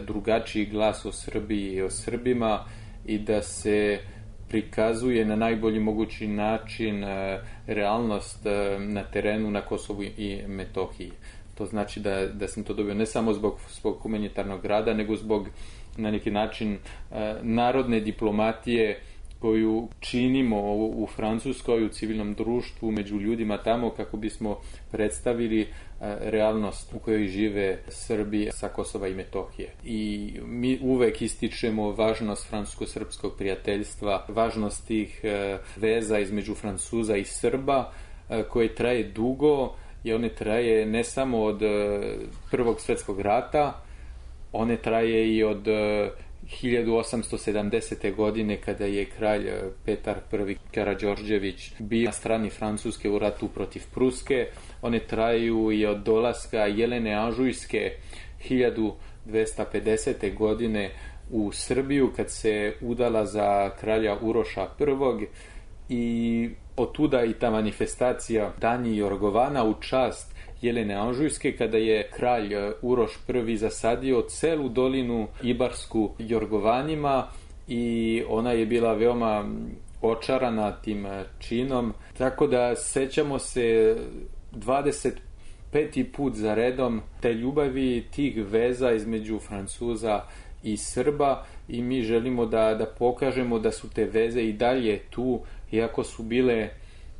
drugačiji glas o Srbiji i o Srbima i da se prikazuje na najbolji mogući način realnost na terenu na Kosovu i Metohiji. To znači da, da sam to dobio ne samo zbog svog humanitarnog rada, nego zbog na neki način narodne diplomatije koju činimo u Francuskoj, u civilnom društvu, među ljudima tamo kako bismo predstavili realnost u kojoj žive Srbi sa Kosova i Metohije. I mi uvek ističemo važnost francusko-srpskog prijateljstva, važnost tih veza između Francuza i Srba koje traje dugo i one traje ne samo od Prvog svetskog rata, one traje i od hiljadu osamsto sedamdesete. godine kada je kralj Petar I. Karađorđević bio na strani Francuske u ratu protiv Pruske. One traju i od dolaska Jelene Anžujske hiljadu dvesta pedesete. godine u Srbiju kad se udala za kralja Uroša I. I otuda i ta manifestacija Danji Jorgovana u čast Jelene Anžujske, kada je kralj Uroš I. zasadio celu dolinu Ibarsku Jorgovanima i ona je bila veoma očarana tim činom. Tako da sećamo se dvadeset peti put za redom te ljubavi, tih veza između Francuza i Srba i mi želimo da, da pokažemo da su te veze i dalje tu, iako su bile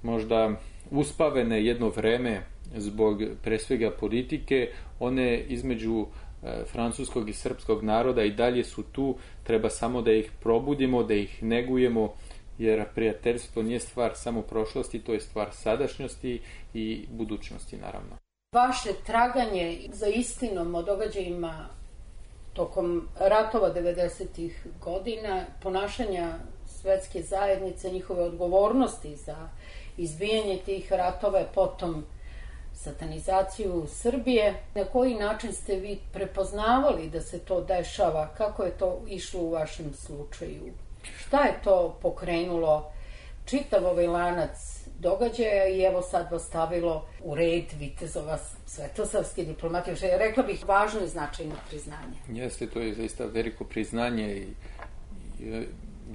možda uspavene jedno vreme zbog pre svega politike, one između e, francuskog i srpskog naroda i dalje su tu, treba samo da ih probudimo, da ih negujemo, jer prijateljstvo nije stvar samo prošlosti, to je stvar sadašnjosti i budućnosti naravno. Vaše traganje za istinom o događajima tokom ratova devedesetih godina, ponašanja svetske zajednice, njihove odgovornosti za izbijanje tih ratova, potom satanizaciju Srbije. Na koji način ste vi prepoznavali da se to dešava? Kako je to išlo u vašem slučaju? Šta je to pokrenulo čitav ovaj lanac događaja i evo sad vas stavilo u red vitezova svetosavske diplomatije, što je, rekla bih, važno i značajno priznanje? Jeste, to je zaista veliko priznanje i, i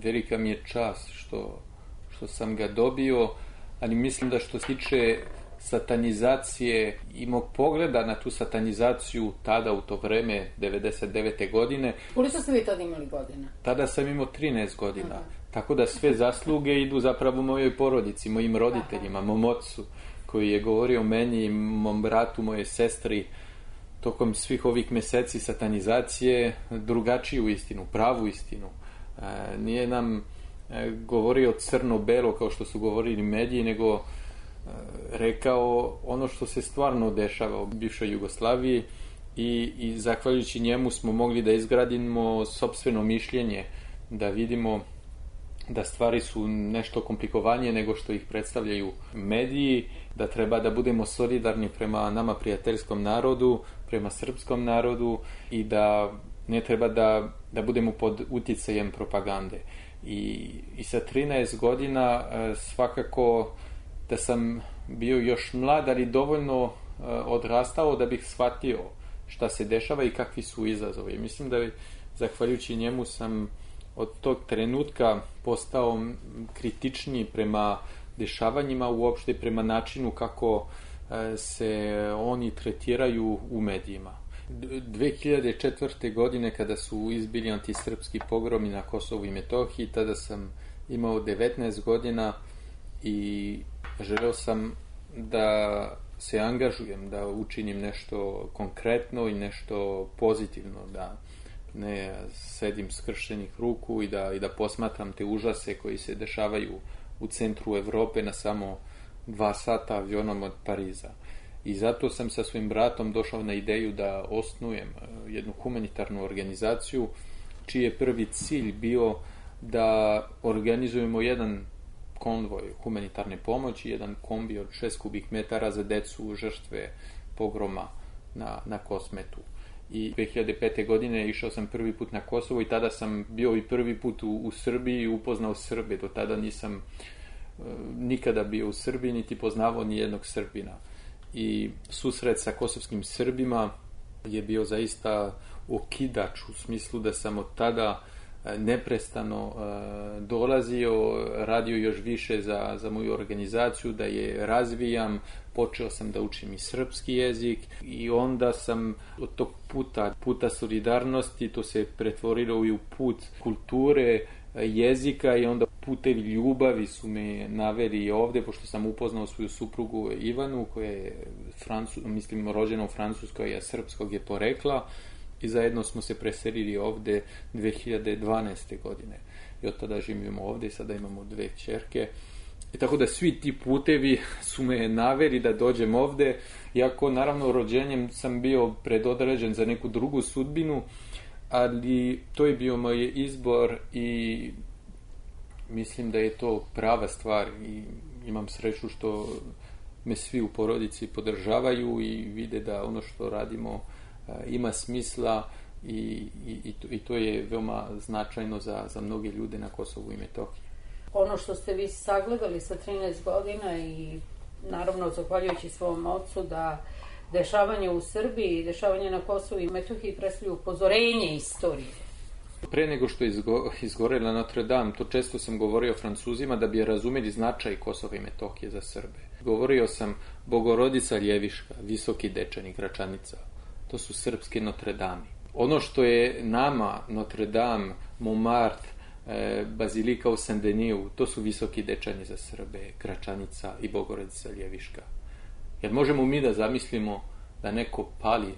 velika mi je čast što, što sam ga dobio, ali mislim da što se tiče satanizacije i mog pogleda na tu satanizaciju tada u to vreme devedeset devete. godine. Koliko ste vi tada imali godina? Tada sam imao trinaest godina. Aha. Tako da sve zasluge idu zapravo mojoj porodici, mojim roditeljima, Aha. mom ocu koji je govorio o meni, mom bratu, moje sestri. tokom svih ovih meseci satanizacije drugačiju istinu, pravu istinu. E, nije nam e, govorio crno-belo kao što su govorili mediji, nego e, rekao ono što se stvarno dešava u bivšoj Jugoslaviji i, i zahvaljujući njemu smo mogli da izgradimo sopstveno mišljenje, da vidimo da stvari su nešto komplikovanije nego što ih predstavljaju mediji, da treba da budemo solidarni prema nama prijateljskom narodu, prema srpskom narodu i da ne treba da, da budemo pod uticajem propagande. I, i sa trinaest godina svakako da sam bio još mlad, ali dovoljno odrastao da bih shvatio šta se dešava i kakvi su izazovi. Mislim da zahvaljujući njemu sam od tog trenutka postao kritičniji prema dešavanjima, uopšte prema načinu kako se oni tretiraju u medijima. dve hiljade četvrte. godine kada su izbili antisrpski pogromi na Kosovu i Metohiji, tada sam imao devetnaest godina i želeo sam da se angažujem, da učinim nešto konkretno i nešto pozitivno, da ne sedim skrštenih ruku i da, i da posmatram te užase koji se dešavaju u centru Evrope na samo dva sata avionom od Pariza. I zato sam sa svojim bratom došao na ideju da osnujem jednu humanitarnu organizaciju čiji je prvi cilj bio da organizujemo jedan konvoj humanitarne pomoći, jedan kombi od šest kubih metara za decu žrtve pogroma na, na Kosmetu. I dve hiljade pete. godine išao sam prvi put na Kosovo i tada sam bio i prvi put u, u Srbiji i upoznao Srbe. Do tada nisam uh, nikada bio u Srbiji, niti poznavao ni jednog Srbina. I susret sa kosovskim Srbima je bio zaista okidač u smislu da sam od tada neprestano uh, dolazio, radio još više za, za moju organizaciju, da je razvijam, počeo sam da učim i srpski jezik i onda sam od tog puta, puta solidarnosti, to se pretvorilo i u put kulture, jezika i onda putevi ljubavi su me naveli ovde, pošto sam upoznao svoju suprugu Ivanu, koja je Francu, mislim, rođena u Francuskoj, a srpskog je porekla. I zajedno smo se preselili ovde dve hiljade dvanaeste. godine. I od tada živimo ovde i sada imamo dve ćerke. I tako da svi ti putevi su me naveli da dođem ovde, iako naravno rođenjem sam bio predodređen za neku drugu sudbinu, ali to je bio moj izbor i mislim da je to prava stvar i imam sreću što me svi u porodici podržavaju i vide da ono što radimo ima smisla i, i, i to je veoma značajno za, za mnoge ljude na Kosovu i Metohiji. Ono što ste vi sagledali sa trinaest godina i naravno zahvaljujući svom ocu da dešavanje u Srbiji i dešavanje na Kosovu i Metohiji predstavljaju upozorenje istorije. Pre nego što je izgo, izgorela Notre Dame, to često sam govorio Francuzima da bi razumeli značaj Kosova i Metohije za Srbe. Govorio sam Bogorodica Ljeviška, Visoki Dečani, Gračanica. To su srpske Notre Dame. Ono što je nama Notre Dame, Montmartre, e, Bazilika u Saint-Deniju, to su Visoki Dečani za Srbe, Gračanica i Bogorodica Ljeviška. Jer možemo mi da zamislimo da neko pali e,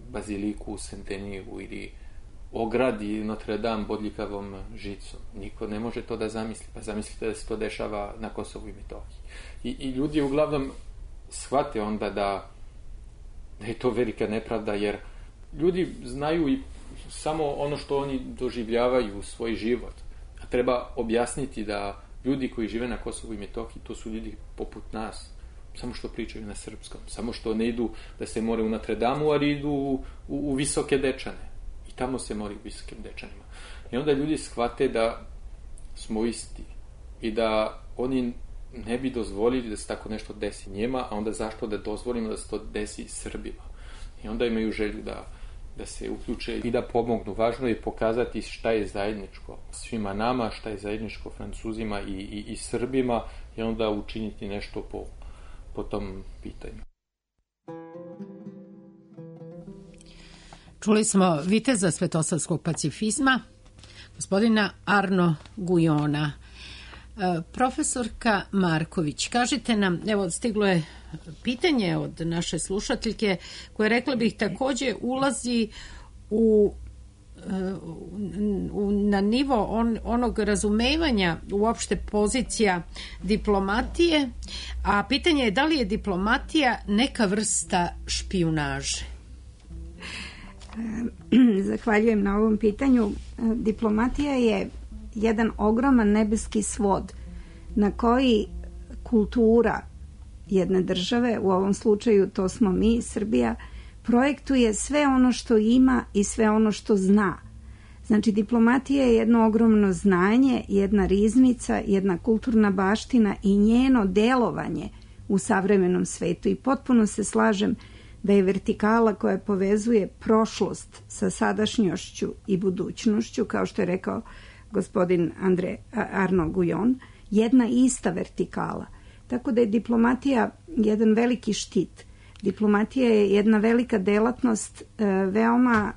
Baziliku u Saint-Deniju ili ogradi Notre Dame bodljikavom žicom. Niko ne može to da zamisli. Pa zamislite da se to dešava na Kosovu i Metohiji. I, i ljudi uglavnom shvate onda da da je to velika nepravda, jer ljudi znaju i samo ono što oni doživljavaju u svoj život. A treba objasniti da ljudi koji žive na Kosovu i Metohiji, to su ljudi poput nas, samo što pričaju na srpskom, samo što ne idu da se more u Notre Dame, ali idu u, u, u Visoke Dečane. I tamo se mori u Visokim Dečanima. I onda ljudi shvate da smo isti i da oni ne bi dozvolili da se tako nešto desi njima, a onda zašto da dozvolimo da se to desi Srbima. I onda imaju želju da, da se uključe i da pomognu. Važno je pokazati šta je zajedničko svima nama, šta je zajedničko Francuzima i, i, i Srbima i onda učiniti nešto po, po tom pitanju. Čuli smo viteza svetosavskog pacifizma, gospodina Arno Gujona. Profesorka Marković, kažite nam, evo stiglo je pitanje od naše slušateljke koje, rekla bih, takođe ulazi u, u na nivo on, onog razumevanja uopšte pozicija diplomatije, a pitanje je da li je diplomatija neka vrsta špijunaže? Zahvaljujem na ovom pitanju. Diplomatija je jedan ogroman nebeski svod na koji kultura jedne države, u ovom slučaju to smo mi, Srbija, projektuje sve ono što ima i sve ono što zna. Znači, diplomatija je jedno ogromno znanje, jedna riznica, jedna kulturna baština i njeno delovanje u savremenom svetu. I potpuno se slažem da je vertikala koja povezuje prošlost sa sadašnjošću i budućnošću, kao što je rekao gospodin Andre Arno Gujon, jedna ista vertikala. Tako da je diplomatija jedan veliki štit. Diplomatija je jedna velika delatnost, veoma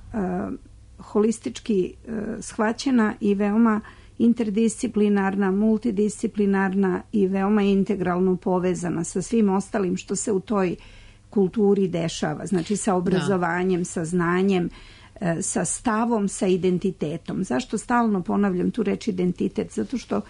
holistički shvaćena i veoma interdisciplinarna, multidisciplinarna i veoma integralno povezana sa svim ostalim što se u toj kulturi dešava. Znači sa obrazovanjem, da. sa znanjem, sa stavom, sa identitetom. Zašto stalno ponavljam tu reč identitet? Zato što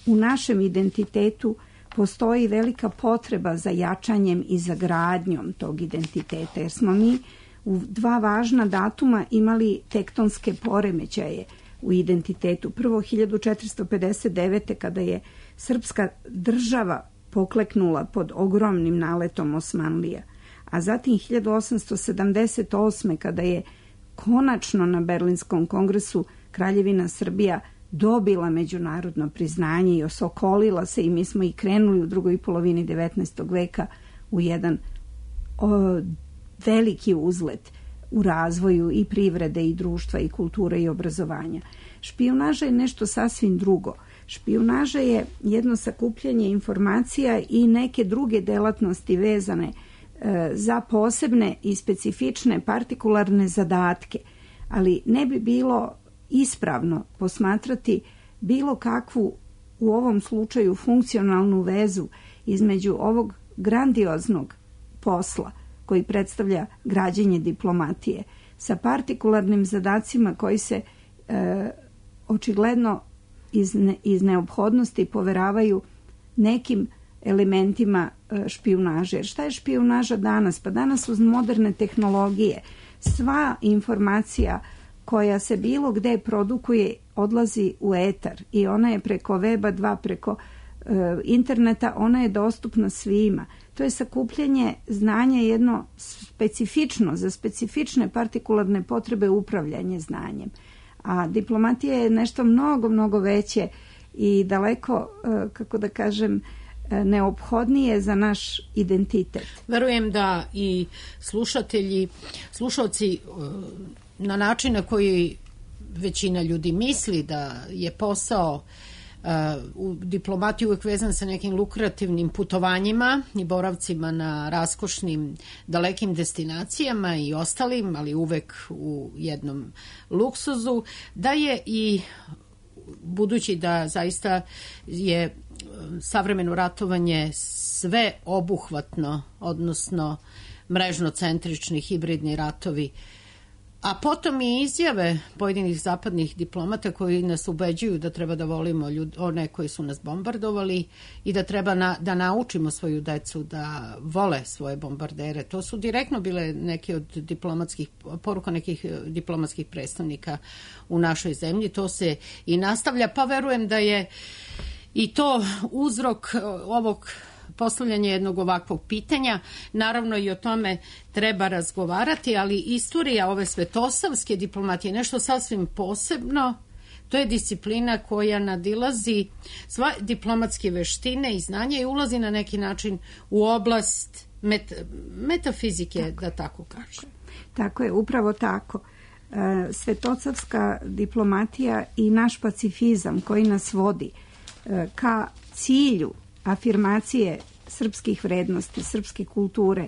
u našem identitetu postoji velika potreba za jačanjem i za gradnjom tog identiteta, jer smo mi u dva važna datuma imali tektonske poremećaje u identitetu. Prvo, hiljadu četiristo pedeset devete. kada je srpska država pokleknula pod ogromnim naletom Osmanlija, a zatim hiljadu osamsto sedamdeset osme. kada je konačno na Berlinskom kongresu Kraljevina Srbija dobila međunarodno priznanje i osokolila se, i mi smo i krenuli u drugoj polovini devetnaestog veka u jedan o, veliki uzlet u razvoju i privrede i društva i kulture i obrazovanja. Špijunaža je nešto sasvim drugo. Špijunaža je jedno sakupljanje informacija i neke druge delatnosti vezane e, za posebne i specifične partikularne zadatke, ali ne bi bilo ispravno posmatrati bilo kakvu, u ovom slučaju, funkcionalnu vezu između ovog grandioznog posla koji predstavlja građenje diplomatije sa partikularnim zadacima koji se e, očigledno iz, ne, iz neophodnosti poveravaju nekim elementima e, špijunaže. Jer šta je špijunaža danas? Pa danas uz moderne tehnologije sva informacija koja se bilo gde produkuje odlazi u etar i ona je preko weba dva, preko e, interneta, ona je dostupna svima. To je sakupljanje znanja jedno specifično, za specifične partikularne potrebe upravljanje znanjem. A diplomatija je nešto mnogo, mnogo veće i daleko, e, kako da kažem, neophodnije za naš identitet. Verujem da i slušatelji, slušalci na način na koji većina ljudi misli da je posao uh, u diplomatiji uvek vezan sa nekim lukrativnim putovanjima i boravcima na raskošnim dalekim destinacijama i ostalim, ali uvek u jednom luksuzu, da je i budući da zaista je savremeno ratovanje sve obuhvatno, odnosno mrežno-centrični hibridni ratovi, a potom i izjave pojedinih zapadnih diplomata koji nas ubeđuju da treba da volimo ljud, one koji su nas bombardovali i da treba na, da naučimo svoju decu da vole svoje bombardere. To su direktno bile neke od diplomatskih poruka nekih diplomatskih predstavnika u našoj zemlji. To se i nastavlja, pa verujem da je i to uzrok ovog postavljanje jednog ovakvog pitanja. Naravno i o tome treba razgovarati, ali istorija ove svetosavske diplomatije je nešto sasvim posebno. To je disciplina koja nadilazi sva diplomatske veštine i znanja i ulazi na neki način u oblast met, metafizike, tako, da tako kažem. Tako je, upravo tako. Svetosavska diplomatija i naš pacifizam koji nas vodi ka cilju afirmacije srpskih vrednosti, srpske kulture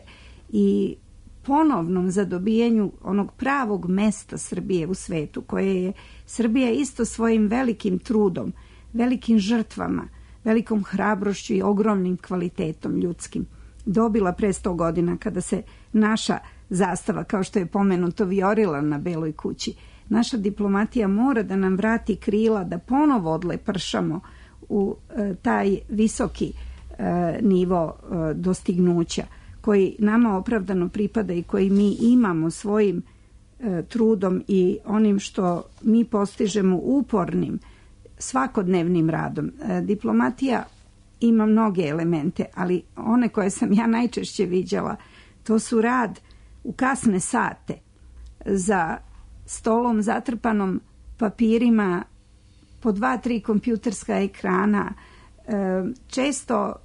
i ponovnom zadobijanju onog pravog mesta Srbije u svetu, koje je Srbija isto svojim velikim trudom, velikim žrtvama velikom hrabrošću i ogromnim kvalitetom ljudskim dobila pre sto godina kada se naša zastava, kao što je pomenuto, vijorila na Beloj kući. Naša diplomatija mora da nam vrati krila, da ponovo odlepršamo u e, taj visoki e, nivo e, dostignuća koji nama opravdano pripada i koji mi imamo svojim e, trudom i onim što mi postižemo upornim svakodnevnim radom. E, diplomatija ima mnoge elemente, ali one koje sam ja najčešće viđala, to su rad u kasne sate za stolom zatrpanom papirima, po dva, tri kompjuterska ekrana, često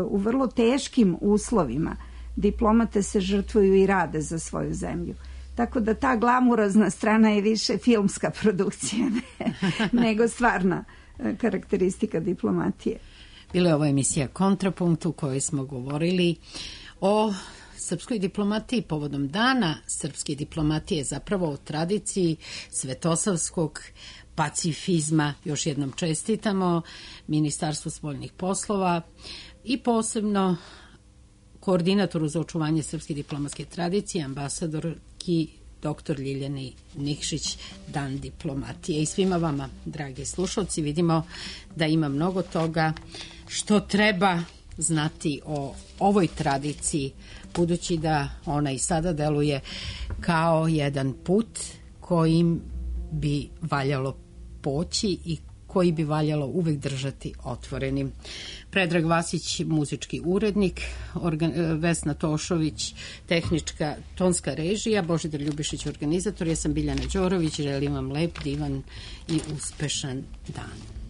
u vrlo teškim uslovima. Diplomate se žrtvuju i rade za svoju zemlju. Tako da ta glamurozna strana je više filmska produkcija nego stvarna karakteristika diplomatije. Bila je ovo emisija Kontrapunkt u kojoj smo govorili o srpskoj diplomatiji povodom dana srpske diplomatije, zapravo o tradiciji svetosavskog pacifizma. Još jednom čestitamo Ministarstvu spoljnih poslova i posebno koordinatoru za očuvanje srpske diplomatske tradicije, ambasadorki doktor Ljiljani Nikšić, dan diplomatije. I svima vama, dragi slušalci, vidimo da ima mnogo toga što treba znati o ovoj tradiciji, budući da ona i sada deluje kao jedan put kojim bi valjalo poći i koji bi valjalo uvek držati otvorenim. Predrag Vasić, muzički urednik, organ, Vesna Tošović, tehnička tonska režija, Božidar Ljubišić, organizator, ja sam Biljana Đorović, želim vam lep, divan i uspešan dan.